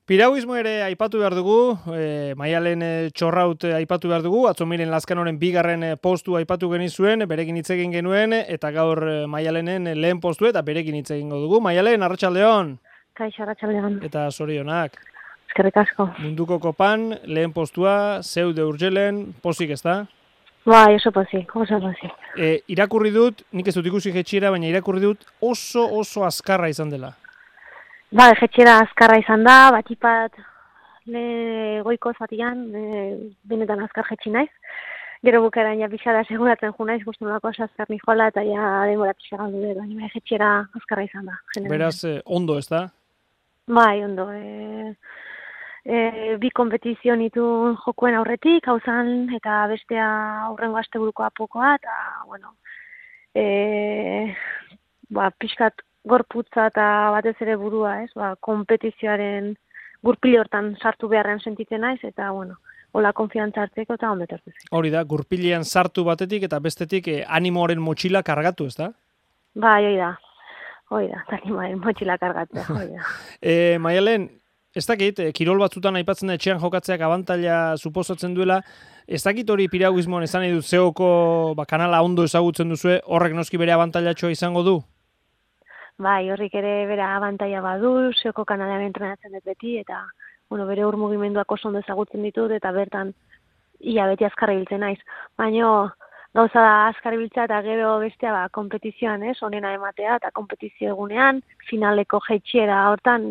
Piragüismo ere aipatu behar dugu, Maialen Txorraut aipatu behar dugu, atzo miren Lazkanoren bigarren postu aipatu genizuen, berekin hitz egin genuen, eta gaur Maialenen lehen postu eta berekin hitz egingo dugu. Maialen, arratsaldeon. Kaixo, arratsaldeon. Eta zorionak. Eskerrik asko. Munduko kopan, lehen postua, zeude urgelen, pozik ez da? Bai, oso pozik. Irakurri dut, nik ez dut ikusi jetxiera, baina irakurri dut oso azkarra izan dela. Bai, jetxera azkarra izan da, batipat goiko zatian, benetan azkar jetxi naiz. Gero bukaeran ja pixada seguratzen ju naiz, guztu nolako azkar nijola, eta ja denbora pixa galdu dut, baina jetxera azkarra izan da. Beraz, ondo ez da? Bai, ondo. Bi kompetizio nituen jokuen aurretik, hauzan, eta bestea aurrengo asteburuko apokoa, eta, bueno, pixkat gorputza eta batez ere burua, ez? Kompetizioaren gurpile hortan sartu beharrean sentitzen naiz, eta, bueno, hola konfiantza hartzeko eta ondo etortu zen. Hori da, gurpilean sartu batetik eta bestetik animoaren motxila kargatu, ez da? Bai, hori da, animoaren motxila kargatzea, hori da. Maialen, ez dakit, kirol batzutan aipatzen da etxean jokatzeak abantaila suposatzen duela, ez dakit hori piragüismoan esan nahi dut zeoko kanala ondo ezagutzen duzue, horrek noski bere abantailatxoa izango du? Bai, horrik ere bere abantaila badu, zeoko kanalean entrenatzen dut beti, eta bere mugimenduak oso ondo ezagutzen ditut, eta bertan ia beti azkarra ibiltzen naiz. Baina gauza da azkarra ibiltzea eta gero bestea kompetizioan, onena ematea, eta kompetizio egunean, finaleko jetxiera hortan,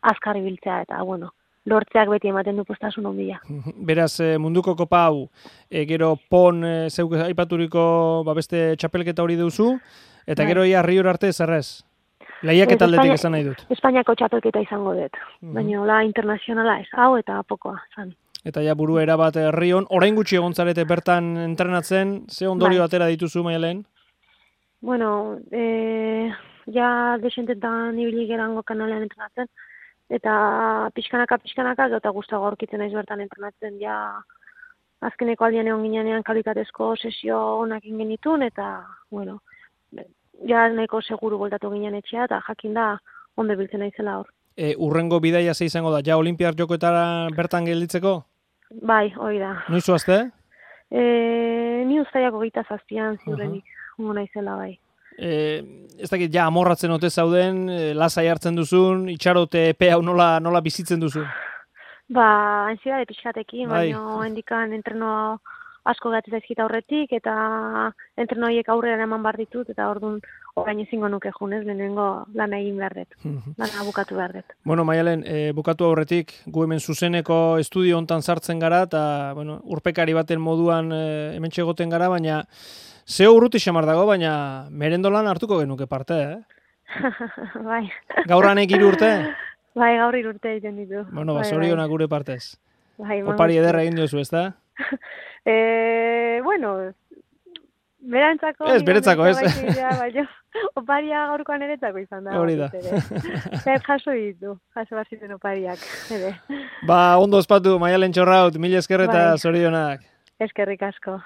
azkarra ibiltzea, eta lortzeak beti ematen du postasun ondia. Beraz, munduko kopa hau, gero pon zeuk aipaturiko beste txapelketa hori duzu, eta gero ia Rior arte zerrez? Lehiaketa aldetik esan nahi dut. Espainiako txapelketa izango dut, baina hola internazionala ez, hau eta apokoa zan. Eta ja buru erabat Rion, orain gutxi egon zarete bertan entrenatzen, ze ondorio atera dituzu, Maialen? Bueno, ja desentetan ibili gerango kanalean entrenatzen, eta pixkanaka, eta gustago aurkitzen naiz bertan entrenatzen, ja azkeneko aldian egon ginean kalitatezko sesio onak ingenitun, eta, ja nahiko seguru voltatu ginen etxea, eta jakin da ondo biltzen naizela hor. Urrengo bidaia ze izango da, ja Olimpiar jokoetara bertan gelditzeko? Bai, hori da. Noiz zoazte? Ni uztaiako 27an ziurrenik, naizela bai. Ez dakit, ja amorratzen ote zauden, lasai hartzen duzun, itxarote epe hau nola bizitzen duzu? Ansiedade pixkatekin, baina hendikan entreno asko gatzez daizkita horretik, eta entrenoiek aurrera eman behar ditut, eta orduan orain ezingo nuke junez, lehenengo lana egin behar dut, lana bukatu behar dut. Bueno, Maialen, bukatu aurretik, gu hemen zuzeneko estudio hontan sartzen gara, eta urpekari baten moduan hemen txegoten gara, baina zeo urruti xamar dago, baina merendolan hartuko genuke parte, Bai. Gaur hanek 3 urte? Bai, gaur 3 urte egiten ditu. Bueno, zorionak gure partez. Bai, opari ederra egin diozu, ez da? Berantzako... Ez, beretzako, ez? Oparia gaurkoan eretzako izan da. Hori da. Jaso baziten opariak. Ondo ospatu, Maialen Txorraut, mila esker eta zorionak. Eskerrik asko.